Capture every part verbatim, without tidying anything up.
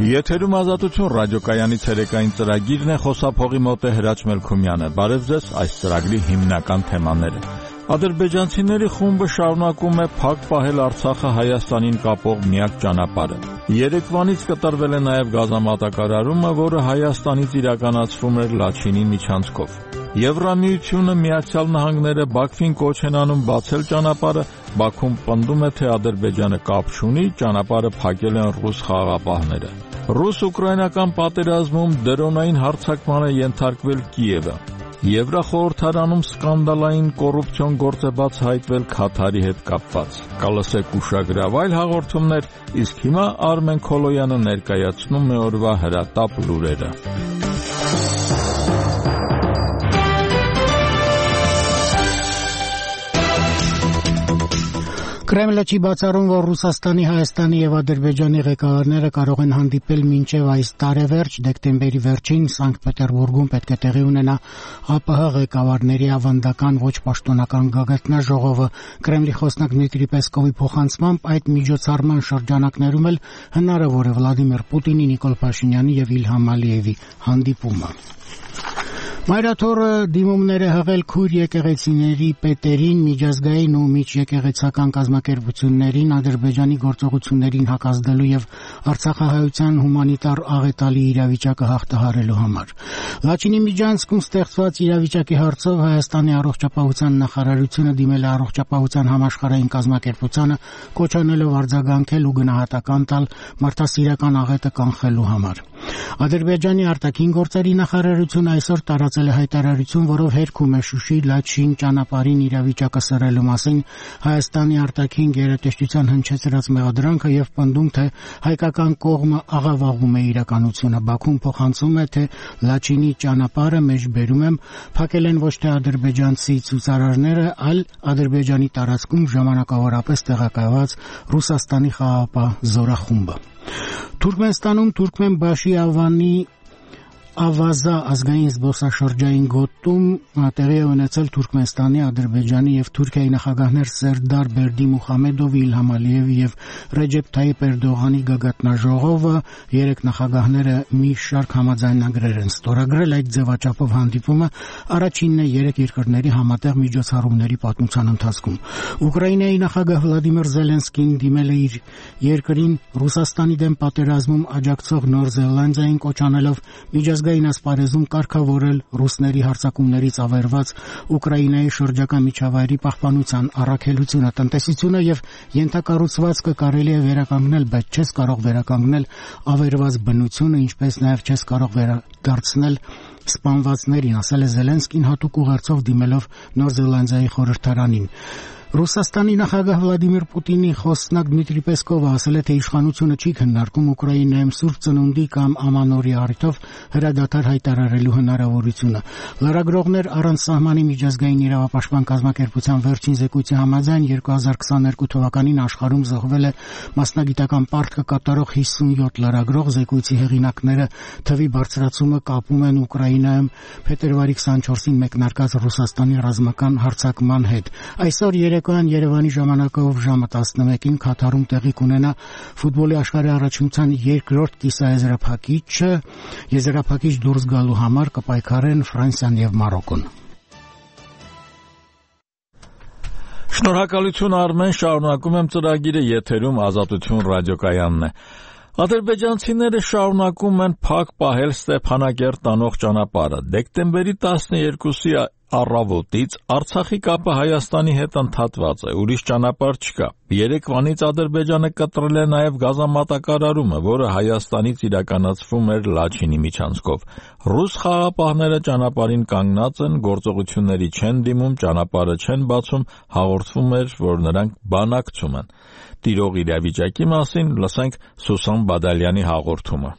Եթերում ազատություն ռադիոկայանի ցերեկային ծրագիրն է, խոսափողի մոտ է Հրաչ Մելքումյանը։ Բարև ձեզ, այս ծրագրի հիմնական թեմաները։ Ադրբեջանցիների խումբը շարունակում է փակ պահել Արցախը Հայաստանին կապող միակ ճանապարհը։ Երեկվանից կտրվել է նաև գազամատակարարումը, որը Հայաստանից իրականացվում էր Լաչինի միջանցքով։ Եվրամիությունը, Միացյալ Նահանգները Բաքվին կոչ են անում բացել ճանապարհը, Բաքուն պնդում է, թե Ադրբեջանը կապ չունի, ճանապարհը փակել են ռուս խաղաղապահները։ Ռուս-ուկրաինական պատերազմում դրոնային հարձակման է ենթարկվել Կիևը։ Եվրախորհրդարանում սկանդալային կոռուպցիոն գործ է բաց հայտվել Քաթարի հետ կապված։ Կլսեք ուշագրավ այլ հաղորդումներ, իսկ հիմա Արմեն Քոլոյանը ներկայացնում է օրվա հրատապ լուրերը։ Կրեմլը չի բացառում, որ Ռուսաստանի, Հայաստանի եւ Ադրբեջանի ղեկավարները կարող են հանդիպել մինչեւ այս տարեվերջ, դեկտեմբերի վերջին Սանկտ Պետերբուրգում պետք է տեղի ունենա ԱՊՀ ղեկավարների ավանդական ոչ պաշտոնական գագաթնաժողովը։ Կրեմլի խոսնակ Դմիտրի Պեսկովի փոխանցմամբ այդ միջոցառման շրջանակներում էլ հնարավոր է Վլադիմիր Պուտինի, Նիկոլ Փաշինյանի եւ Իլհամ Ալիևի հանդիպումը։ Մայրաթորը դիմումներ է հղել քույր եկեղեցիների պետերին, միջազգային ու միջեկեղեցական կազմակերպություններին Ադրբեջանի գործողություններին հակազդելու եւ Արցախահայության հումանիտար աղետալի իրավիճակը հաղթահարելու համար։ Լաչինի միջանցքում ստեղծված իրավիճակի հարցով Հայաստանի առողջապահության նախարարությունը դիմել է առողջապահության համաշխարհային կազմակերպությանը, կոչանելով արձագանքել ու գնահատական տալ մարդասիրական աղետը կանխելու համար։ Ադրբեջանի արտաքին գործերի նախարարությունը այսօր տարածել է հայտարարություն, որով հերքում է Շուշի Լաչին ճանապարհին իրավիճակը սրելու մասին Հայաստանի արտաքին գերատեսչության հնչեցրած մեղադրանքը եւ պնդում, թե հայկական կողմը աղավաղում է իրականությունը։ Բաքուն փոխանցում է, թե Լաչինի ճանապարհը մեջբերում եմ փակել են ոչ թե ադրբեջանցի ցուցարարները, այլ Ադրբեջանի տարածքում ժամանակավորապես տեղակայված Ռուսաստանի խաղաղապահ զորախումբը։ Թուրքմենստանում Թուրքմենբաշի Ավանի Ավազա ազգային զբոսաշրջային գոտում տեղի է ունեցել Թուրքմենստանի, Ադրբեջանի եւ Թուրքիայի նախագահներ Սերդար Բերդիմուխամեդովի, Իլհամ Ալիևի եւ Ռեջեփ Թայիփ Էրդողանի գագաթնաժողովը։ Երեք նախագահները մի շարք համաձայնագրեր են ստորագրել։ Այդ ձևաչափով հանդիպումը առաջինն է երեք երկրների համատեղ միջոցառումների պատմության ընթացքում։ Ուկրաինայի նախագահ Վլադիմիր Զելենսկին դիմել է իր երկրին Ռուսաստանի դեմ պատերազմում աջակցող Նոր Զելանդիային, կոչանելով միջազգային ասպարեզում կարգավորել ռուսների հարձակումներից ավերված Ուկրաինայի շրջակա միջավայրի պահպանության առաքելությունը։ Տնտեսությունը եւ ենթակառուցվածքը կարելի է վերականգնել, բայց չես կարող վերականգնել ավերված բնությունը, ինչպես նաեւ չես կարող վերադարձնել սպանվածներին, ասել է Զելենսկին հատուկ ուղերձով դիմելով Նոր Զելանդիայի խորհրդարանին։ Ռուսաստանի նախագահ Վլադիմիր Պուտինի խոսնակ Դմիտրի Պեսկովը ասել է, թե իշխանությունը չի քննարկում Ուկրաինայում Սուրբ Ծնունդի կամ Ամանորի առիթով հրադադար հայտարարելու հնարավորությունը։ Լրագրողներ առանց սահմանի միջազգային իրավապաշտպան կազմակերպության վերջին զեկույցի համաձայն երկու հազար քսաներկու թվականին աշխարհում զոհվել է մասնագիտական պարտքը կատարող հիսունյոթ լրագրող։ Զեկույցի հեղինակները թվի բարձրացումը կապում են Ուկրաինայում փետրվարի քսանչորսին մեկնարկած Ռուսաստանի ռազմական հարձակման հետ։ Այսօր երեկոյան Երևանի ժամանակով ժամը տասնմեկին Քաթարում տեղի կունենա ֆուտբոլի աշխարհի առաջնության երկրորդ կիսաեզրափակիչը։ Եզրափակիչ դուրս գալու համար կպայքարեն Ֆրանսիան եւ Մարոկոն։ Շնորհակալություն Արմեն, շարունակում եմ ծրագիրը, եթերում Ազատություն ռադիոկայանն է։ Ադրբեջանցիները շարունակում են փակ պահել Ստեփանակերտ տանող ճանապարհը։ Դեկտեմբերի տասներկուսի առավոտից Արցախի կապը Հայաստանի հետ ընդհատված է, ուրիշ ճանապարհ չկա։ Երեկվանից Ադրբեջանը կտրել է նաև գազամատակարարումը, որը Հայաստանից իրականացվում էր Լաչինի միջանցքով։ Ռուս խաղաղապահները ճանապարհին կանգնած են, գործողությունների չեն դիմում, ճանապարհը չեն բացում, հաղորդվում էր, որ նրանք բանակցում են։ Տիրող իրավիճակի մասին լսենք Սուսան Բադալյանի հաղորդումը։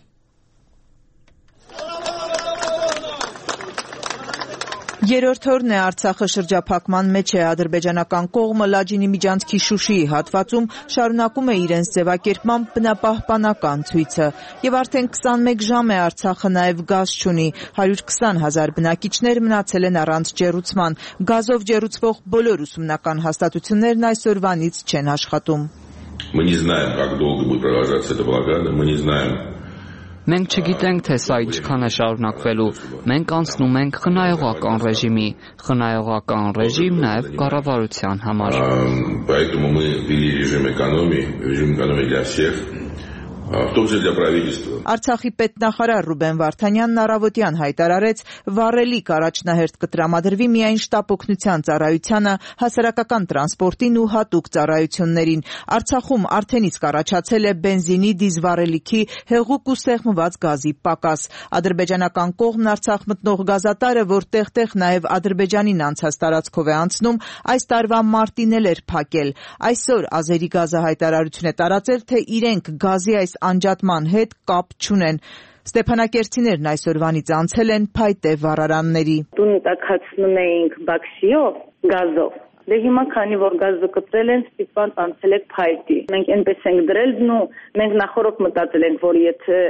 Երրորդ օրն է Արցախը շրջափակման մեջ է, ադրբեջանական կողմը Լաչինի միջանցքի Շուշիի հատվածում շարունակում է իրենց ձևակերպման բնապահպանական ցույցը, եւ արդեն քսանմեկ ժամ է Արցախը նաեւ գազ չունի, հարյուր քսան հազար բնակիչներ մնացել են առանց ջեռուցման, գազով ջեռուցվող բոլոր ուսումնական հաստատություններն այսօրվանից չեն աշխատում։ Мы не знаем, как долго будет продолжаться эта блокада, мы не знаем, Մենք չգիտենք, թե սա ինչքան է շարունակվելու։ Մենք անցնում ենք խնայողական ռեժիմի, խնայողական ռեժիմ նաև կառավարության համար։ Поэтому мы ввели режим экономии, режим экономии для всех. Արցախի պետնախարար Ռուբեն Վարդանյանն առավոտյան հայտարարեց, վառելիք առաջնահերթ կտրամադրվի միայն շտապօգնության ծառայությանը, հասարակական տրանսպորտին ու հատուկ ծառայություններին։ Արցախում արդեն իսկ առաջացել է բենզինի, դիզվառելիքի, հեղուկ ու սեղմված գազի պակաս։ Ադրբեջանական կողմն Արցախ մտնող գազատարը, որ տեղ-տեղ նաև Ադրբեջանին անցած տարածքով է անցնում, այս տարվա մարտին էլ էր փակել։ Այսօր Ազերի գազը հայտարարություն է տարածել, թե իրենք գազի այս անջատման հետ կապ չունեն։ Ստեփանակերտցիներն այսօրվանից անցել են փայտե վառարանների։ Տուն տաքացնում էինք բաքսիով, գազով։ Դե հիմա քանի որ գազը կտրել են, ստիպված անցել եք փայտի։ Մենք այնպես ենք դրել, նու մենք նախորդ մտածել ենք, որ եթե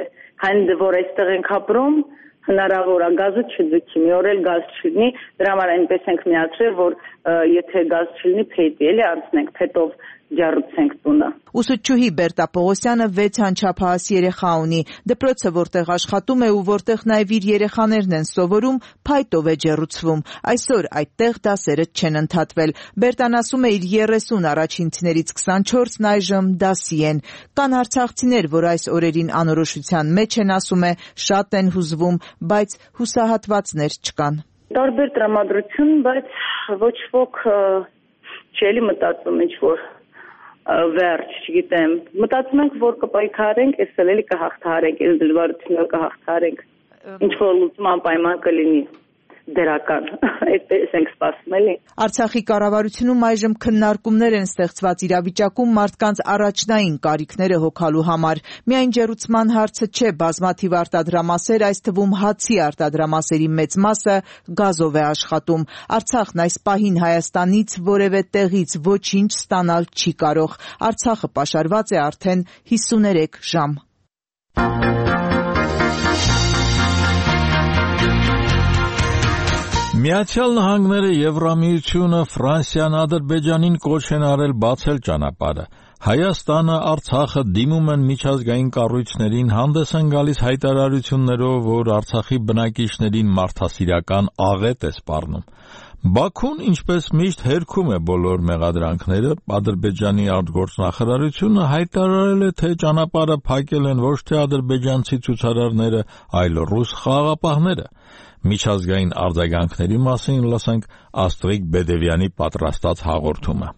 քանի որ այստեղ ենք ապրում, հնարավոր է գազը չձգի, մի օր էլ գազ չլինի, դրա համար այնպես ենք միացրել, որ եթե գազ չլինի, փայտի էլի անցնենք, փետով ջարուցենք տունը։ Ուսուցչուհի Բերտա Պողոսյանը վեց անչափահաս երեխա ունի։ Դպրոցը, որտեղ աշխատում է ու որտեղ նաև իր երեխաներն են սովորում, փայտով է ջեռուցվում։ Այսօր այդտեղ դասերը չեն ընդհատվել։ Բերտան ասում է, իր երեսուն առաջինցիներից քսանչորսն այժմ դասի են։ Կան արցախցիներ, որ այս օրերին անորոշության մեջ են, ասում է, շատ են հուզվում, բայց հուսահատվածներ չկան։ Տարբեր տրամադրություն, բայց ոչ ոք չէ՞ մտածում ինչ-որ վերջ, չգիտեմ, մտածում ենք, որ կպայքարենք, այս էլ կհաղթահարենք, այս դժվարությունները կհաղթահարենք, ինչ-որ լուծման պայման կլինի դրական, այդպես ենք սպասում էլի։ Արցախի կառավարությունում այժմ քննարկումներ են ստեղծված իրավիճակում մարդկանց առաջնային կարիքները հոգալու համար։ Միայն ջեռուցման հարցը չէ, բազմաթիվ արտադրամասեր, այս թվում հացի արտադրամասերի մեծ մասը գազով է աշխատում։ Արցախն այս պահին Հայաստանից որևէ տեղից ոչինչ ստանալ չի կարող։ Արցախը պաշարված է արդեն հիսուներեք ժամ։ Միացյալ Նահանգները, Եվրամիությունը, Ֆրանսիան, Ադրբեջանին կոչ են արել բացել ճանապարհը։ Հայաստանը, Արցախը դիմում են միջազգային կառույցներին, հանդես են գալիս հայտարարություններով, որ Արցախի բնակիչներին մարդասիրական աղետ է սպառնում։ Բաքուն, ինչպես միշտ, հերքում է բոլոր մեղադրանքները։ Ադրբեջանի արտգործնախարարությունը հայտարարել է, թե ճանապարհը փակել են ոչ թե ադրբեջանցի ցուցարարները, այլ ռուս խաղաղապահները։ Միջազգային արձագանքների մասին լսենք Աստղիկ Բեդևյանի պատրաստած հաղորդումը։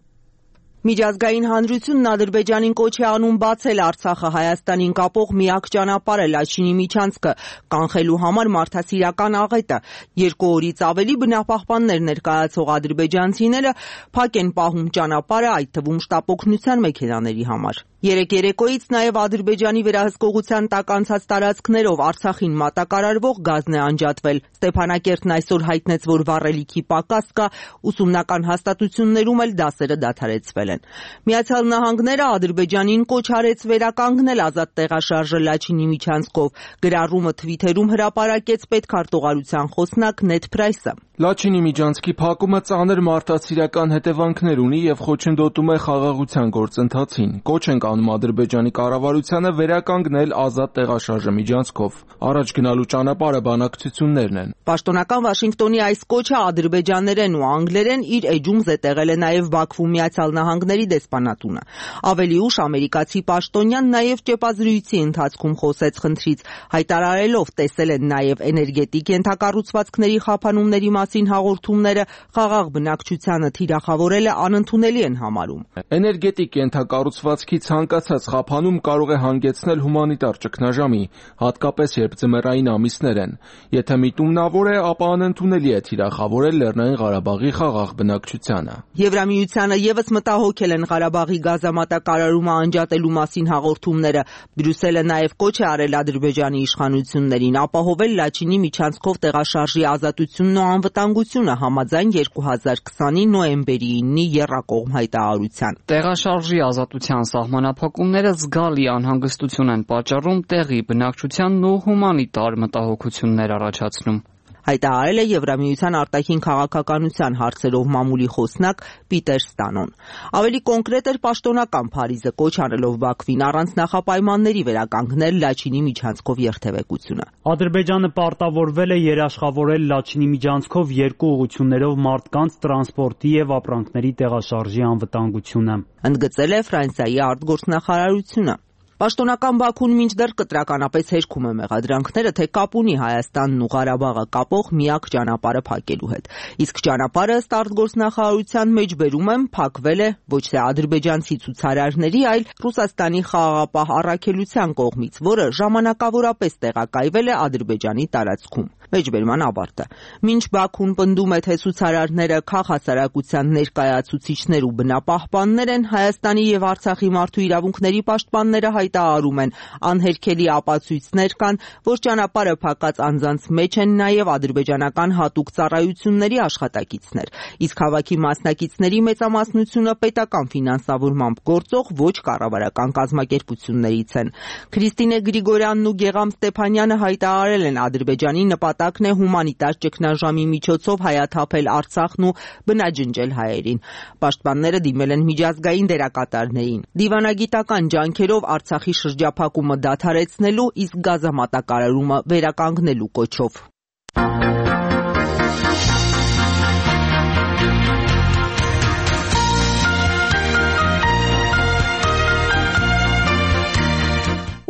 Միջազգային հանրությունն Ադրբեջանին կոչ է անում բացել Արցախը Հայաստանին կապող միակ ճանապարհը Լաչինի միջանցքը, կանխելու համար մարդասիրական աղետը։ Երկու օրից ավելի բնապահպաններ ներկայացող ադրբեջանցիները փակ են պահում ճանապարհը, այդ թվում շտապօգնության մեքենաների համար։ Երեք երեկոյից նաև Ադրբեջանի վերահսկողության տակ անցած տարածքներով Արցախին մատակարարվող գազն է անջատվել։ Ստեփանակերտն այսօր հայտնեց, որ վառելիքի պակաս կա, ուսումնական հաստատություններում էլ դասերը դադարեցվել են։ Միացյալ Նահանգները Ադրբեջանին կոչ արեց վերականգնել ազատ տեղաշարժը Լաչինի միջանցքով։ Գրառումը Թվիթերում հրապարակեց պետքարտուղարության խոսնակ Նեդ Փրայսը։ Լաչինի միջանցքի փակումը ծանր մարդասիրական հետևանքներ ունի եւ խոչընդոտում է խաղաղության գործընթացին։ Կոչ ենք անում Ադրբեջանի կառավարությանը վերականգնել ազատ տեղաշարժը միջանցքով։ Առաջ գնալու ճանապարհը բանակցություններն են։ Պաշտոնական Վաշինգտոնի այս կոչը ադրբեջաներեն ու անգլերեն իր էջում զետեղել է նաև Բաքվում Միացյալ Նահանգների դեսպանատունը։ Ավելի ուշ ամերիկացի պաշտոնյան նաև ճեպազրույցի ընթացքում խոսեց խնդրից, հայտարարելով տեսել են նաև էներգետիկ ենթակառուցվածքների խափանումների մասին հաղորդումները, խաղաղ բնակչությանը թիրախավորելը անընդունելի են համարում։ Էներգետիկ ենթակառուցվածքի ցանկացած խափանում կարող է հանգեցնել հումանիտար ճգնաժամի, հատկապես երբ ձմեռային ամիսներ են։ Եթե միտումնավոր է, ապա անընդունելի է թիրախավորել Լեռնային Ղարաբաղի խաղաղ բնակչությանը։ Եվրամիությանը ևս մտահոգել են Ղարաբաղի գազամատակարարումը անջատելու մասին հաղորդումները։ Բրյուսելը նաև կոչ է արել Ադրբեջանի իշխանություններին ապահովել Լաչինի միջանցքով տեղաշարժի ազատությունն ու անվտանգությունը համաձայն երկու հազար քսանի նոյեմբերի իննի եռակողմ հայտարարության։ Տեղաշարժի ազատության սահմանափակումները զգալի անհանգստություն են պատճառում տեղի բնակչությանն ու հումանիտար մտահոգություններ առաջացնում։ հայտարարել է Եվրամիության արտաքին քաղաքականության հարցերով մամուլի խոսնակ Պիտեր Ստանոն։ Ավելի կոնկրետ էր պաշտոնական Փարիզը կոչ անելով Բաքվին առանց նախապայմանների վերականգնել Լաչինի միջանցքով երթևեկությունը։ Ադրբեջանը պարտավորվել է երաշխավորել Լաչինի միջանցքով երկու ուղղություններով մարդկանց, տրանսպորտի եւ ապրանքների տեղաշարժի անվտանգությունը, ընդգծել է Ֆրանսիայի արտգործնախարարությունը։ Պաշտոնական Բաքուն մինչդեռ կտրականապես հերքում է մեղադրանքները, թե կապ ունի Հայաստանն ու Ղարաբաղը կապող միակ ճանապարհը փակելու հետ։ Իսկ ճանապարհը ըստ արտգործնախարարության մեջբերում եմ փակվել է ոչ թե ադրբեջանցի ցուցարարների, այլ Ռուսաստանի խաղաղապահ առաքելության կողմից, որը ժամանակավորապես տեղակայվել է Ադրբեջանի տարածքում։ Մեջբերման ավարտը։ Մինչ Բաքուն պնդում է, թե ցուցարարները քաղաքասարակության ներկայացուցիչներ ու բնապահպաններ են, Հայաստանի եւ Արցախի մարդու իրավունքների պաշտպանները հայտարարում են, անհերքելի ապացույցներ կան, որ ճանապարհը փակած անձանց մեջ են նաեւ ադրբեջանական հատուկ ծառայությունների աշխատակիցներ, իսկ հավաքի մասնակիցների մեծամասնությունը պետական ֆինանսավորմամբ գործող ոչ կառավարական կազմակերպություններից են։ Քրիստինե Գրիգորյանն ու Գեգամ Ստեփանյանը հայտարարել են Ադրբեջանի նպատակն է հումանիտար ճգնաժամի միջոցով հայաթափել Արցախն ու բնաջնջել հայերին։ Պաշտպանները դիմել են միջազգային դերակատարներին։ Դիվանագիտական ջանքերով Արցախի շրջափակումը դադարեցնելու, իսկ գազամատակարարումը վերականգնելու կոչով։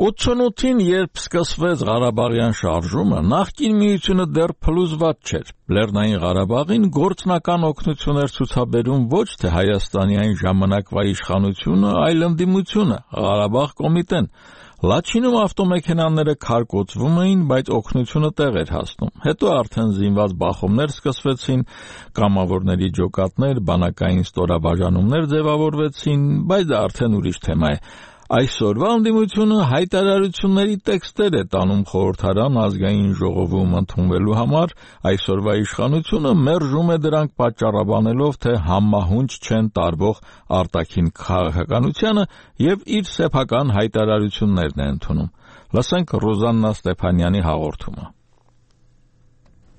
ութսունութին, երբ սկսվեց Ղարաբաղյան շարժումը, նախկին միությունը դեռ փլուզված չէր։ Լեռնային Ղարաբաղին գործնական օգնություն էր ցուցաբերում ոչ թե Հայաստանի այն ժամանակվա իշխանությունը, այլ ընդդիմությունը, Ղարաբաղ կոմիտեն։ Լաչինում ավտոմեքենաները քարկոծվում էին, բայց օգնությունը տեղ էր հասնում։ Հետո արդեն զինված բախումներ սկսվեցին, կամավորների ջոկատներ, բանակային ստորաբաժանումներ ձևավորվեցին, բայց դա արդեն ուրիշ թեմա է։ Այսօրվա ընդդիմությունը հայտարարությունների տեքստեր է տանում խորհրդարան ազգային ժողովում ընդունվելու համար, այսօրվա իշխանությունը մերժում է դրանք պատճառաբանելով, թե համահունչ չեն տարվող արտաքին քաղաքականությանը եւ իր սեփական հայտարարություններն է ընդունում։ Լսենք Ռոզաննա Ստեփանյանի հաղորդումը։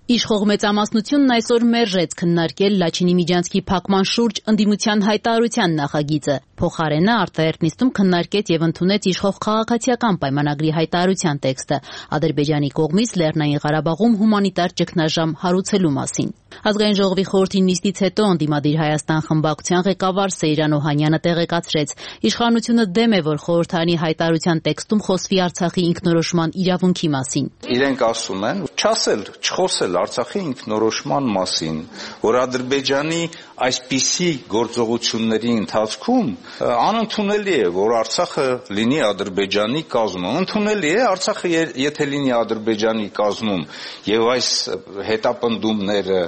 Իշխող մեծամասնությունն այսօր մերժեց քննարկել Լաչինի միջանցքի փակման շուրջ ընդդիմության հայտարարության նախագիծը։ Փոխարենը արտահերտ նիստում քննարկեց եւ ընդունեց իշխող քաղաքացիական պայմանագրի հայտարարության տեքստը Ադրբեջանի կողմից Լեռնային Ղարաբաղում հումանիտար ճգնաժամ հարուցելու մասին։ Ազգային ժողովի խորհրդի նիստից հետո ընդդիմադիր Հայաստան խմբակցության ղեկավար Սեյրան Օհանյանը տեղեկացրեց, իշխանությունը դեմ է, որ խորհրդարանի հայտարարության տեքստում խոսվի Արցախի ինքնորոշման իրավունքի մասին։ Իրենք ասում են, չասել, չխոսել Արցախի ինքնորոշման մասին, որ Ադրբեջանի այսպիսի գործողությունների ընթացքում անընդունելի է, որ Արցախը լինի Ադրբեջանի կազմում։ Ընդունելի է Արցախը եթե լինի Ադրբեջանի կազմում եւ այս հետապնդումները,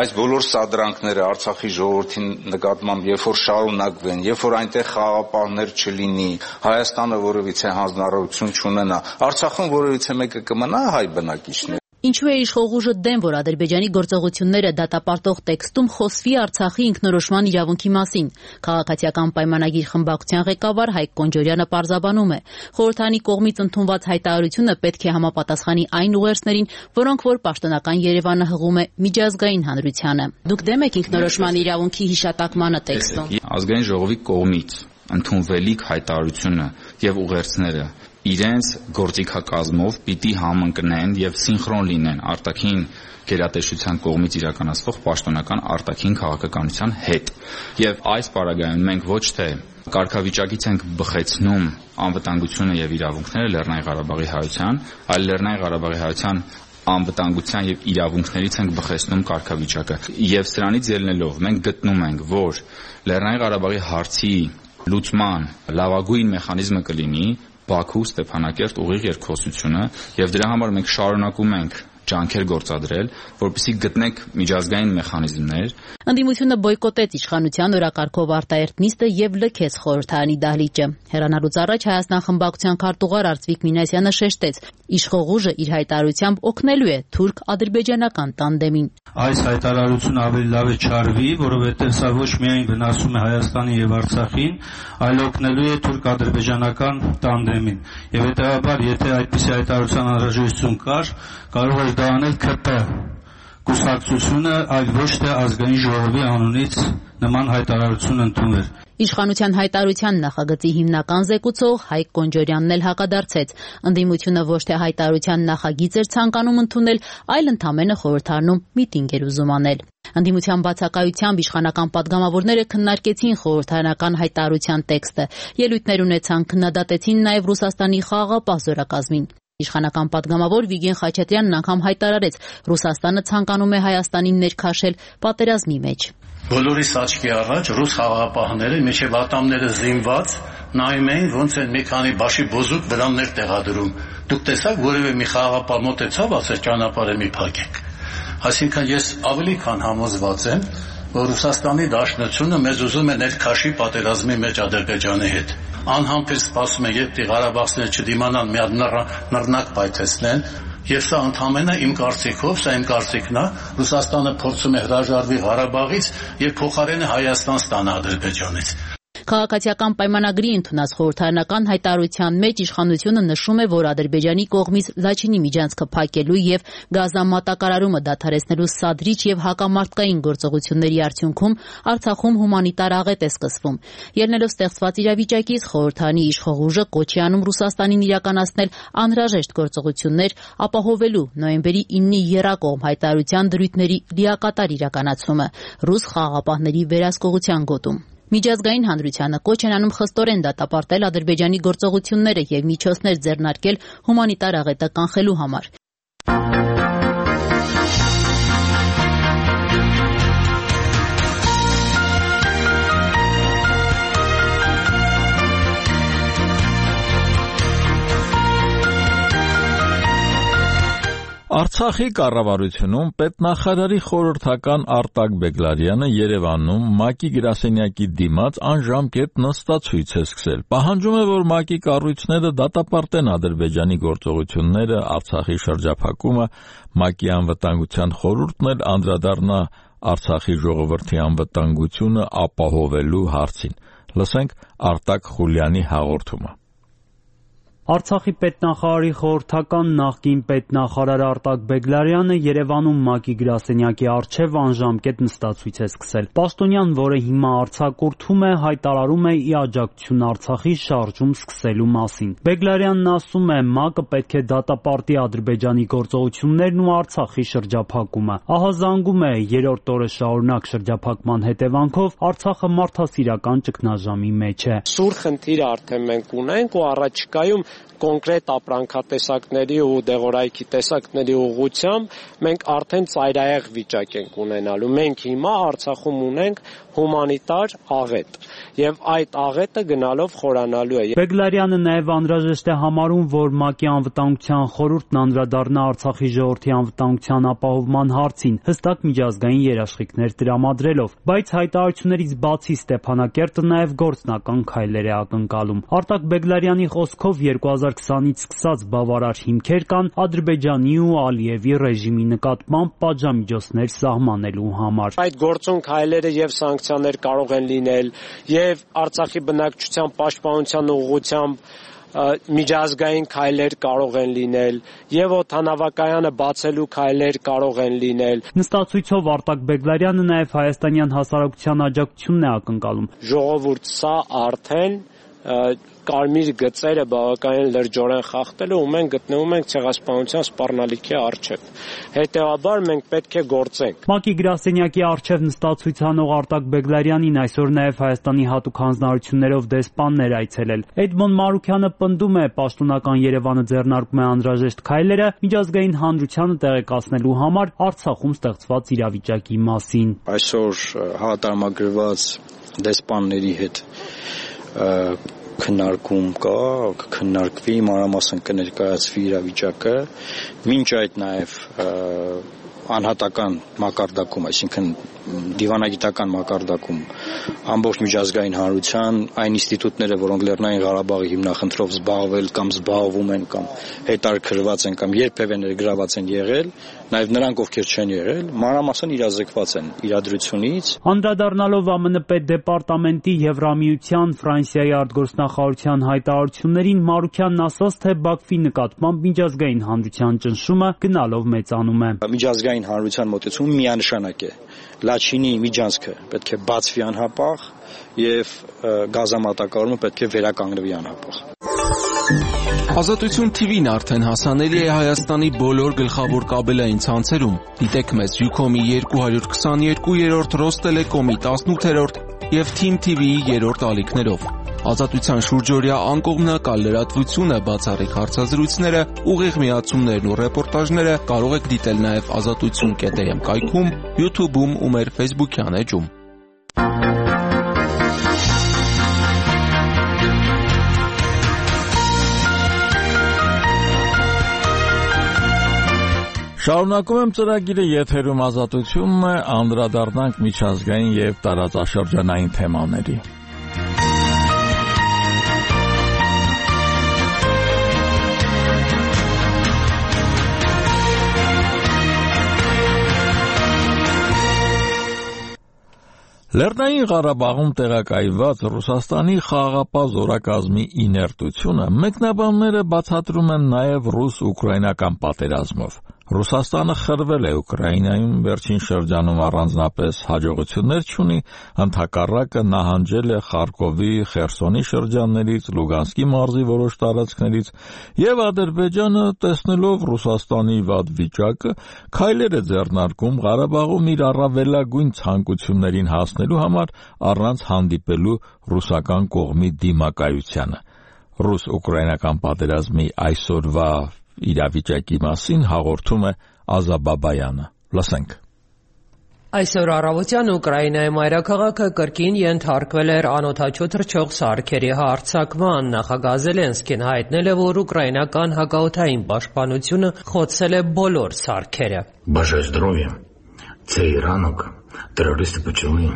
այս բոլոր սադրանքները Արցախի ժողովրդի նկատմամբ երբ որ շարունակվեն, երբ որ այնտեղ խաղաղապահներ չլինի, Հայաստանը որևիցե հանձնառողություն չունենա, Արցախում որևիցե մեկը կմնա հայ բնակիչներ։ Ինչու է իշխող ուժը դեմ, որ Ադրբեջանի գործողությունները դատապարտող տեքստում խոսվի Արցախի ինքնորոշման իրավունքի մասին։ Քաղաքացիական պայմանագիր խմբակցության ղեկավար Հայկ Կոնջորյանը պարզաբանում է, խորհրդարանի կողմից ընդունված հայտարարությունը պետք է համապատասխանի այն ուղերձներին, որոնք որ պաշտոնական Երևանը հղում է միջազգային հանրությանը։ Դուք դեմ եք ինքնորոշման իրավունքի հիշատակմանը տեքստում։ Ազգային ժողովի կողմից ընդունվելիք հայտարարությունը եւ ուղերձները իրենց գործիքակազմով պիտի համընկնեն եւ սինխրոն լինեն արտաքին գերատեսչության կողմից իրականացվող պաշտոնական արտաքին քաղաքականության հետ։ Եվ այս պարագայում մենք ոչ թե կարգավիճակից ենք բխեցնում անվտանգությունը եւ իրավունքները Լեռնային Ղարաբաղի հայության, այլ Լեռնային Ղարաբաղի հայության անվտանգության եւ իրավունքներից ենք բխեցնում կարգավիճակը։ Եվ սրանից ելնելով մենք գտնում ենք, որ Լեռնային Ղարաբաղի հարցի լուծման լավագույն մեխանիզմը կլինի Բաքու Ստեփանակերտ ուղիղ երկխոսությունը եւ դրա համար մենք շարունակում ենք ջանքեր գործադրել, որպեսզի գտնենք միջազգային մեխանիզմներ։ Ընդդիմությունը բոյկոտեց իշխանության օրակարգով արտահերտ նիստը եւ լքեց խորհրդարանի դահլիճը։ Հեռանալուց առաջ Հայաստան խմբակցության քարտուղար Արծվիկ Մինասյանը շեշտեց, իշխող ուժը իր հայտարարությամբ օգնելու է թուրք-ադրբեջանական տանդեմին։ Այս հայտարարությունը ավելի լավ է չարվի, որովհետեւ սա ոչ միայն վնասում է Հայաստանի եւ Արցախին, այլ օգնելու է թուրք-ադրբեջանական տանդեմին։ Եվ հետեւաբար, եթե այդպիսի հայտարարության անհրաժեշտություն կար, կարող էր դա անել ՔՊ, կուսակցությունը, այլ ոչ թե ազգային ժողովի անունից նման հայտարարություն ընդուներ։ Իշխանության հայտարարության նախագծի հիմնական զեկուցող Հայկ Կոնջորյանն էլ հակադարձեց։ Ընդդիմությունը ոչ թե հայտարարության նախագիծ էր ցանկանում ընդունել, այլ ընդամենը խորհրդարանում միտինգ էր ուզում անել։ Ընդդիմության բացակայությամբ իշխանական պատգամավորները քննարկեցին խորհրդարանական հայտարարության տեքստը, ելույթներ ունեցան, քննադատեցին նաև Ռուսաստանի խաղաղապահ զորակազմին։ Իշխանական պատգամավոր Վիգեն Խաչատրյանն անգամ հայտարարեց, Ռուսաստանը ցանկանում է Հայաստանին ներքաշել պատերազմի մեջ։ Բոլորիս աչքի առաջ ռուս խաղաղապահները մինչև ատամները զինված նայում էին, ոնց են մի քանի բաշի բոզուկ վրաններ տեղադրում։ Դուք տեսաք, որևէ մի խաղաղապահ մոտեցավ, ասել ճանապարհը մի փակեք։ Այսինքն ես ավելի քան համոզված եմ, որ Ռուսաստանի Դաշնությունը մեզ ուզում է ներքաշի պատերազմի մեջ Ադրբեջանի հետ։ Անհամբեր սպասում են, երբ Ղարաբաղցիները չդիմանան մի հատ նռնակ պայթեցնեն, եւ սա ընդհանրապես իմ կարծիքով, սա իմ կարծիքն է, Ռուսաստանը փորձում է հրաժարվի Ղարաբաղից եւ փոխարենը Հայաստան ստանա Ադրբեջանից։ Քաղաքացիական պայմանագրի ընդունած խորհրդարանական հայտարարության մեջ իշխանությունը նշում է, որ Ադրբեջանի կողմից Լաչինի միջանցքը փակելու եւ գազամատակարարումը դադարեցնելու սադրիչ եւ հակամարտկային գործողությունների արդյունքում Արցախում հումանիտար աղետ է սկսվում։ Ելնելով ստեղծված իրավիճակից խորհրդարանի իշխող ուժը կոչ է անում Ռուսաստանին իրականացնել անհրաժեշտ գործողություններ, ապահովելու նոյեմբերի իննի եռակողմ հայտարարության դրույթների լիակատար իրականացումը ռուս խաղաղապահների վերահսկողության գոտում։ Միջազգային հանրությանը կոչ են անում խստորեն դատապարտել Ադրբեջանի գործողությունները եւ միջոցներ ձեռնարկել հումանիտար աղետը կանխելու համար։ Արցախի կառավարությունում պետնախարարի խորհրդական Արտակ Բեգլարյանը Երևանում ՄԱԿ-ի գրասենյակի դիմաց անժամկետ նստացույց է սկսել։ Պահանջում է, որ ՄԱԿ-ի կառույցները դատապարտեն Ադրբեջանի գործողությունները, Արցախի շրջափակումը, ՄԱԿ-ի անվտանգության խորհուրդն էլ անդրադառնա Արցախի ժողովրդի անվտանգությունը ապահովելու հարցին։ Լսենք Արտակ Խուլյանի հաղորդումը։ Արցախի պետնախարարի խորհրդական նախկին պետնախարար Արտակ Բեգլարյանը Երևանում ՄԱԿ-ի գրասենյակի առջև անժամկետ նստացույց է սկսել։ Պաշտոնյան, որը հիմա արձակուրդում է, հայտարարում է ի աջակցություն Արցախի շարժում սկսելու մասին։ Բեգլարյանն ասում է, ՄԱԿ-ը պետք է դատապարտի Ադրբեջանի գործողություններն ու Արցախի շրջափակումը։ Ահա զանգում է երրորդ օրը շարունակ շրջափակման հետևանքով Արցախը մարդասիրական ճգնաժամի մեջ է։ Սուր խնդիր արդեն մենք ունենք ու առաջիկայում կոնկրետ ապրանքատեսակների ու դեղորայքի տեսակների ուղղությամբ մենք արդեն ծայրահեղ վիճակ ենք ունենալու։ Մենք հիմա Արցախում ունենք հումանիտար աղետ եւ այդ աղետը գնալով խորանալու է։ Բեգլարյանը նաեւ անհրաժեշտ է համարում, որ ՄԱԿ-ի անվտանգության խորհուրդն անդրադառնա Արցախի ժողովրդի անվտանգության ապահովման հարցին, հստակ միջազգային երաշխիքներ տրամադրելով, բայց հայտարարություններից բացի Ստեփանակերտը նաեւ գործնական քայլեր է ակնկալում։ Արտակ Բեգլարյանի խոսքով երկու հազար քսանից սկսած բավարար հիմքեր կան Ադրբեջանի ու Ալիևի ռեժիմի նկատմամբ պատժամիջոցներ սահմանելու համար։ Այդ գործուն քայլերը եւ սանկցիաներ կարող են լինել եւ Արցախի բնակչության պաշտպանության ուղղությամբ միջազգային քայլեր կարող են լինել եւ օդանավակայանը բացելու քայլեր կարող են լինել։ Նստացույցով Արտակ Բեգլարյանը նաեւ հայաստանյան հասարակության աջակցությունն է ակնկալում։ Ժողովուրդ, սա արդեն կարմիր գծերը բավականին լրջորեն խախտել ու մենք գտնվում ենք ցեղասպանության սպառնալիքի առջև։ Հետևաբար մենք պետք է գործենք։ ՄԱԿ-ի գրասենյակի առջև նստացույց անող Արտակ Բեգլարյանին այսօր նաև Հայաստանի հատուկ հանձնարարություններով դեսպաններ այցելել։ Էդմոն Մարուքյանը պնդում է, պաշտոնական Երևանը ձեռնարկում է անհրաժեշտ քայլերը միջազգային հանրությանը տեղեկացնելու համար Արցախում ստեղծված իրավիճակի մասին։ Այսօր հատարմագրված դեսպանների հետ քննարկում կա, կքննարկվի, մանրամասն կներկայացվի իրավիճակը, մինչ այդ նաև անհատական մակարդակում, այսինքն դիվանագիտական մակարդակում ամբողջ միջազգային հանրության այն ինստիտուտները, որոնք Լեռնային Ղարաբաղի հիմնախնդրով զբաղվել կամ զբաղվում են կամ հետաքրքրված են կամ երբևէ ներգրաված են եղել, նաև նրանք ովքեր չեն եղել, մանրամասն իրազեկված են իրադրությունից։ Անդրադառնալով ԱՄՆ պետդեպարտամենտի Եվրամիության Ֆրանսիայի արտգործնախարարության հայտարարություններին Մարուքյանն ասաց, թե Բաքվի նկատմամբ միջազգային հանրության ճնշումը գնալով մեծանում է։ Միջազգային հանրության մոտեցումը միանշանակ է։ Լաչինի միջանցքը պետք է բացվի անհապաղ եւ գազամատակարարումը պետք է վերականգնվի անհապաղ։ Ազատություն թի վին արդեն հասանելի է Հայաստանի բոլոր գլխավոր կաբելային ցանցերում։ Դիտեք մեզ Յուքոմի երկու հարյուր քսաներկու, Ռոստելեկոմի տասնութերորդ եւ Թիմ թի վիի երրորդ ալիքներով։ Ազատության շուրջօրյա անկողմնակալ լրատվությունը, բացառիկ հարցազրույցները, ուղիղ միացումներն ու ռեպորտաժները կարող եք դիտել նաև ազատություն կետ էմ կայքում, YouTube-ում ու մեր Facebook-յան էջում։ Շարունակում եմ ծրագիրը, եթերում ազատությունն է, անդրադառնանք միջազգային եւ տարածաշրջանային թեմաների։ Լեռնային Ղարաբաղում տեղակայված Ռուսաստանի խաղաղապահ զորակազմի իներտությունը մեկնաբանները բացատրում են նաև ռուս-ուկրաինական պատերազմով։ Ռուսաստանը խրվել է Ուկրաինայում, վերջին շրջանում առանձնապես հաջողություններ չունի, ընդհակառակը նահանջել է Խարկովի, Խերսոնի շրջաններից, Լուգանսկի մարզի որոշ տարածքներից, եւ Ադրբեջանը, տեսնելով Ռուսաստանի վատ վիճակը, քայլեր է ձեռնարկում Ղարաբաղում իր առավելագույն ցանկություններին հասնելու համար առանց հանդիպելու ռուսական կողմի դիմակայությանը։ Ռուս-ուկրաինական պատերազմի այսօրվա իրավիճակի մասին հաղորդում է Ազաբաբայանը։ Լսենք։ Այսօր առավոտյան Ուկրաինայի մայրաքաղաքը կրկին ենթարկվել էր անօդաչու թռչող սարքերի հարձակման։ Նախագահ Զելենսկին հայտնել է, որ ուկրաինական հակաօդային պաշտպանությունը խոցել է բոլոր սարքերը։ Бажаю здоров'я. Цей ранок терористи почали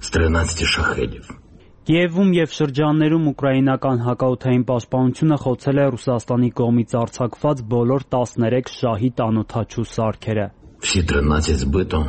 з тринадцяти шахедів. Կիևում եւ շրջաններում ուկրաինական հակաօդային պաշտպանությունը խոցել է Ռուսաստանի կողմից արձակված բոլոր տասներեք շահիդ անօդաչու սարքերը։ Всі тринадцять збито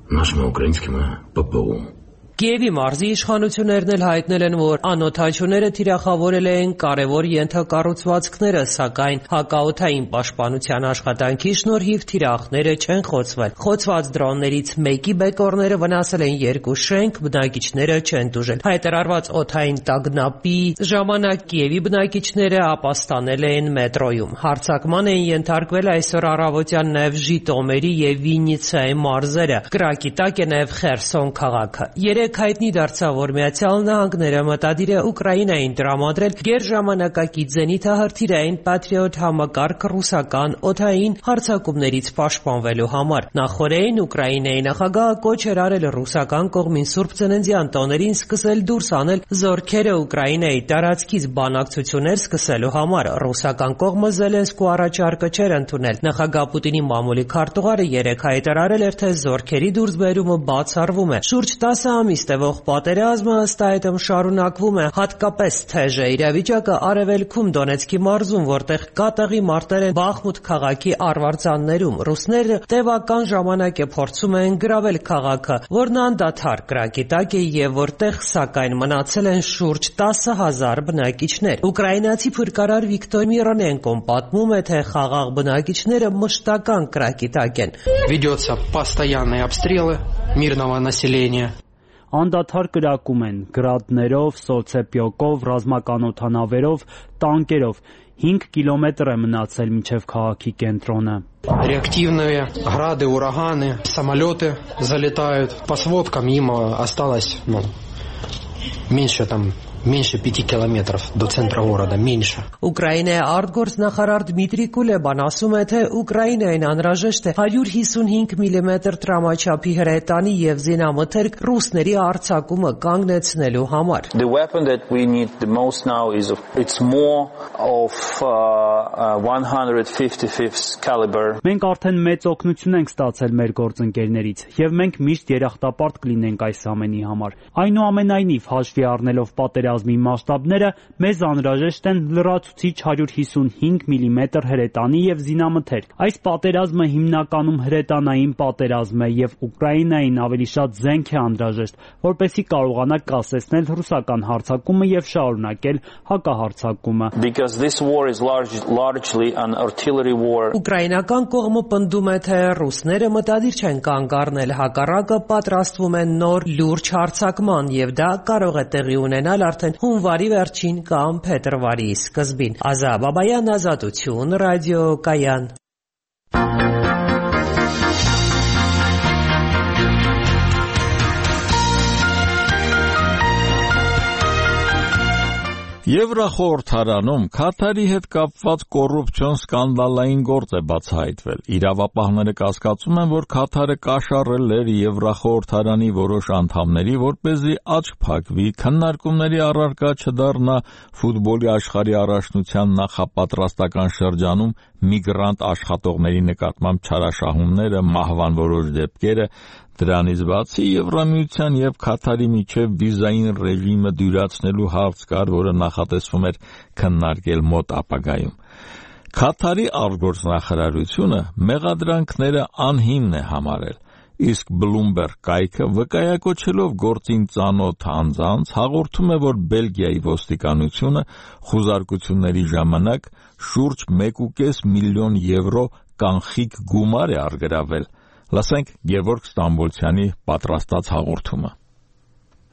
нашими українськими ППО. Կիևի մարզի իշխանություններն էլ հայտնել են, որ անօդաչուները թիրախավորել են կարևոր ենթակառուցվածքները, սակայն հակաօդային պաշտպանության աշխատանքի շնորհիվ թիրախները չեն խոցվել։ Խոցված դրոններից մեկի բեկորները վնասել են երկու շենք, բնակիչները չեն տուժել։ Հայտարարված օդային տագնապի ժամանակ Կիևի բնակիչները ապաստանել են մետրոյում։ Հարձակման են ենթարկվել այսօր առավոտյան նաև Ժիտոմերի եւ Վիննիցայի մարզերը։ Կրակի տակ է նաև Խերսոն քաղաքը։ Երեք հայտնի դարձավ, որ Միացյալ Նահանգները մտադիր է Ուկրաինային տրամադրել գերժամանակակից զենիթահրթիռային Patriot համակարգ ռուսական օդային հարձակումներից պաշտպանվելու համար։ Նախորդին Ուկրաինայի նախագահը կոչ էր արել ռուսական կողմին Սուրբ Ծննդյան տոներին սկսել դուրս անել զորքերը Ուկրաինայի տարածքից բանակցություններ սկսելու համար։ Ռուսական կողմը Զելենսկու առաջարկը չէր ընդունել։ Նախագահ Պուտինի մամուլի քարտուղարը երեք հայտարարել էր, թե զորքերի դուրսբերումը բացառվում է։ Շուրջ տասը ամիս տևող պատերազմը ըստ այդմ շարունակվում է, հատկապես թեժ է իրավիճակը Արևելքում Դոնեցկի մարզում, որտեղ կատաղի մարտեր են Բախմուտ քաղաքի արվարձաններում։ Ռուսները տևական ժամանակ է փորձում են գրավել քաղաքը, որն անդադար կրակի տակ է եւ որտեղ սակայն մնացել են շուրջ տասը հազար բնակիչներ։ Ուկրաինացի փրկարար Վիկտոր Միրանենկոն պատմում է, թե խաղաղ բնակիչները մշտական կրակի տակ են։ Ведется постоянные обстрелы мирного населения. Անդադար կրակում են գրադներով, սոցեպյոկով, ռազմական օդանավերով, տանկերով։ հինգ կիլոմետր է մնացել մինչև քաղաքի կենտրոնը։ Реактивные грады, ураганы, самолеты залетают. По сводкам им осталось, ну, меньше там Меньше пяти километров до центра города, меньше. Ուկրաինայի արտգործնախարար Դմիտրի Կուլեբան ասում է, թե Ուկրաինային անհրաժեշտ է հարյուր հիսունհինգ միլիմետր տրամաչափի հրետանի եւ զինամթերք ռուսների արձակումը կանգնեցնելու համար։ The weapon that we need the most now is of, it's more of uh, one hundred fifty-fifth caliber. Մենք արդեն մեծ օգնություն ենք ստացել մեր գործընկերներից եւ մենք միշտ երախտապարտ կլինենք այս ամենի համար։ Այնուամենայնիվ հաշվի առնելով պատերազմի պատերազմի մասշտաբները, մեզ անհրաժեշտ են լրացուցիչ հարյուր հիսունհինգ միլիմետր հրետանի և զինամթերք։ Այս պատերազմը հիմնականում հրետանային պատերազմ է և Ուկրաինային ավելի շատ զենք է անհրաժեշտ, որպեսզի կարողանա կասեցնել ռուսական հարձակումը և շարունակել հակահարձակումը։ Ուկրաինական կողմը պնդում է, թե ռուսները մտադիր չեն կանգ առնել, հակառակը պատրաստվում են նոր լուրջ հարձակման և դա կարող է տեղի ունենալ արդեն հունվարի վերջին կամ փետրվարի սկզբին։ Ազա Բաբայան, Ազատություն, ռադիոկայան։ Եվրախորհրդարանում Քաթարի հետ կապված կոռուպցիոն սկանդալային գործ է բացահայտվել։ Իրավապահները կասկածում են, որ Քաթարը կաշառել էր Եվրախորհրդարանի որոշ անդամների, որպեսզի աչք փակվի, քննարկումների առարկա չդառնա ֆուտբոլի աշխարհի առաջնության նախապատրաստական շրջանում միգրանտ աշխատողների նկատմամբ չարաշահումները, մահվան որոշ դեպքերը։ Դրանից բացի Եվրամիության և Քաթարի միջև վիզային ռեժիմը դյուրացնելու հարց կար, որը նախատեսվում էր քննարկել մոտ ապագայում։ Քաթարի արտգործնախարարությունը մեղադրանքները անհիմն է համարել, իսկ Bloomberg կայքը վկայակոչելով գործին ծանոթ անձանց հաղորդում է, որ Բելգիայի ոստիկանությունը խուզարկությունների ժամանակ շուրջ մեկ ու կես միլիոն եվրո կանխիկ գումար է առգրավել։ Լսենք Գևորգ Ստամբոլցյանի պատրաստած հաղորդումը։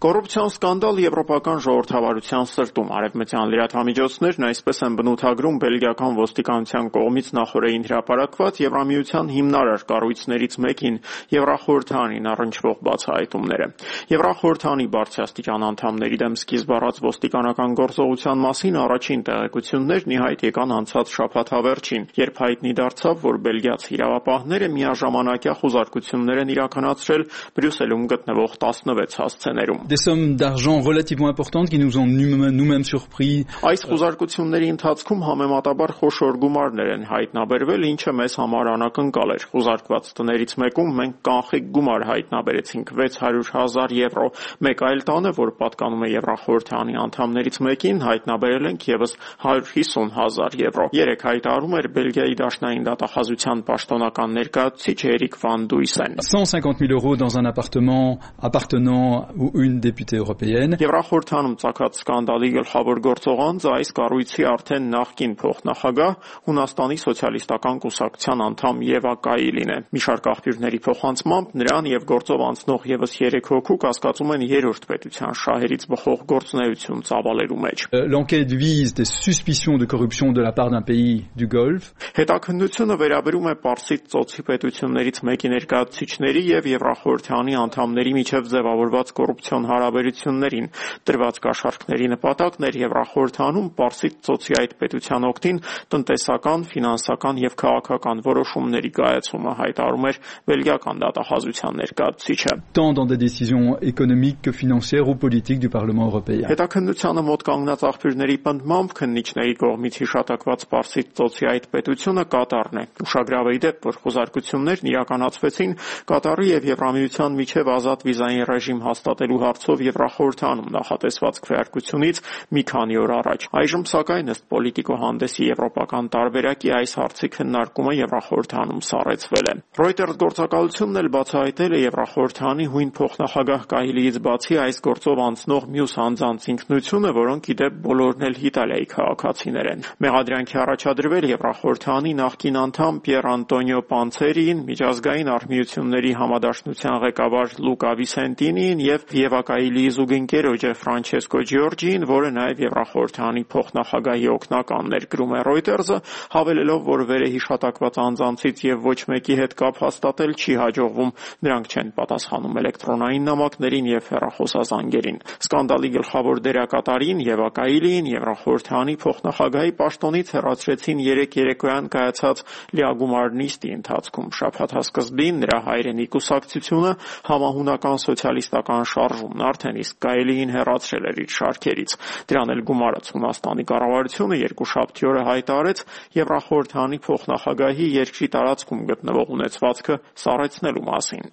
Կոռուպցիոն սկանդալ եվրոպական ժողովրդավարության սրտում արևմտյան լրատվամիջոցներն այսպես են բնութագրում բելգիական ոստիկանության կողմից նախօրեին հրապարակված Եվրամիության հիմնարար կառույցներից մեկին Եվրախորհրդանին առնչվող բացահայտումները։ Եվրախորհրդանի բարձրաստիճան անդամների դեմ սկիզբ առած ոստիկանական գործողության մասին առաջին տեղեկություններն ի հայտ եկան անցած շաբաթավերջին, երբ հայտնի դարձավ, որ բելգիացի իրավապահները միաժամանակյա խուզարկություններ են իրականացրել Բրյուսելում գտնվող տասնվեց հասցեներում։ Des sommes d'argent relativement importantes qui nous ont nous-mêmes surpris. Այս խուզարկությունների ընթացքում համեմատաբար խոշոր գումարներ են հայտնաբերվել, ինչը մեզ համար անակնկալ էր։ Խուզարկված տներից մեկում մենք կանխիկ գումար հայտնաբերեցինք վեց հարյուր հազար եվրո։ Մեկ այլ տանը, որ պատկանում է Եվրախորհրդանի անդամներից մեկին, հայտնաբերել ենք ևս հարյուր հիսուն հազար եվրո։ Երեք հայտարարում էր Բելգիայի դաշնային դատախազության պաշտոնական ներկայացուցիչ Էրիկ Վան Դույսեն։ cent cinquante mille euros dans un appartement appartenant ou une députée européenne. Եվրախորհրդանում ծագած սկանդալի գլխավոր գործողանձը այս կառույցի արդեն նախկին փոխնախագահ Հունաստանի սոցիալիստական կուսակցության անդամ Եվա Կայիլին է։ Մի շարք աղբյուրների փոխանցմամբ նրան եւ գործով անցնող եւս երեք հոգու կասկածում են երրորդ պետության շահերից բխող գործունեություն ծավալելու մեջ։ L'enquête vise des suspicions de corruption de la part d'un pays du Golfe. Հետաքննությունը վերաբերում է Պարսից ծոցի պետություններից մեկի ներկայացուցիչների եւ Եվրախորհրդանի անդամների միջև ձևավորված կոռուպցիոն հարաբերություններին։ Տրված կաշառքների նպատակն էր Եվրախորհրդանում Պարսից ծոցի այդ պետության օգտին տնտեսական, ֆինանսական եւ քաղաքական որոշումների կայացումը, հայտարարում էր բելգիական դատախազության ներկայացուցիչը։ Tant dans des décisions économiques que financières ou politiques du Parlement européen. Հետաքննությանը մոտ կանգնած աղբյուրների պնդմամբ քննիչների կողմից հիշատակված Պարսից ծոցի այդ պետությունը Կատարն է։ Ուշագրավ է դեպ, որ խուզարկություններն իրականացվեցին Կատարի եւ Եվրամիության միջև ազատ վիզային ռեժիմ հաստատելու հարցով Եվրախորհրդանում նախատեսված քվեարկությունից մի քանի օր առաջ։ Այժմ սակայն ըստ Պոլիտիկո հանդեսի եվրոպական տարբերակի այս հարցի քննարկումը Եվրախորհրդանում սառեցվել է։ Reuters գործակալությունն էլ բացահայտել է Եվրախորհրդանի հույն փոխնախագահ Կահիլիից բացի այս գործով անցնող մյուս անձանց ինքնությունը, որոնք ի դեպ բոլորն էլ Իտալիայի քաղաքացիներ են։ Մեղադրանքի առաջադրվել Եվրախորհրդանի նախկին անդամ Պիեր Անտոնիո Պանցերին, միջազգային արհմիությունների համադաշնության ղեկավար Լուկա Վիսենտինին եւ Եվա Կայիլիի զուգընկերոջը Ֆրանչեսկո Ջիորջին, որը նաեւ Եվրախորհրդանի փոխնախագահի օգնականն էր, գրում է Reuters-ը, հավելելով, որ վերահիշատակված անձանցից եւ ոչ մեկի հետ կապ հաստատել չի հաջողվում, նրանք չեն պատասխանում էլեկտրոնային նամակներին եւ հեռախոսազանգերին։ Սկանդալի գլխավոր դերակատարին Եվա Կայիլիին Եվրախորհրդանի փոխնախագահի պաշտոնից հեռացրեցին երեք երեկոյան կայացած լիագումար նիստի ընթացքում։ Շաբաթ սկզբին նրա հայրենի կուսակցությունը համահունական սոցիալիստական շարժումն արդեն իսկ Կայիլիին հեռացրել էր իր շարքերից։ Դրան էլ գումարած Հունաստանի կառավարությունը երկուշաբթի օրը հայտարարեց Եվրախորհրդանի փոխնախագահի երկրի տարածքում գտնվող ունեցվածքը սառեցնելու մասին։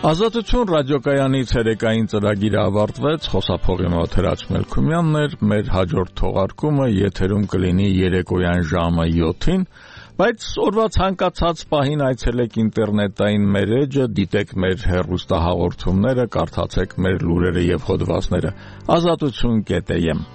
Ազատություն ռադիոկայանի ցերեկային ծրագիրը ավարտվեց, խոսափողի մոտ Հրաչ Մելքումյանն էր, մեր հաջորդ թողարկումը եթերում կլինի երեկոյան ժամը յոթին, բայց օրվա ցանկացած պահին այցելեք ինտերնետային մեր էջը, դիտեք մեր հեռուստահաղորդումները, կարդացեք մեր լուրերը եւ հոդվածները ազատություն կետ է եմ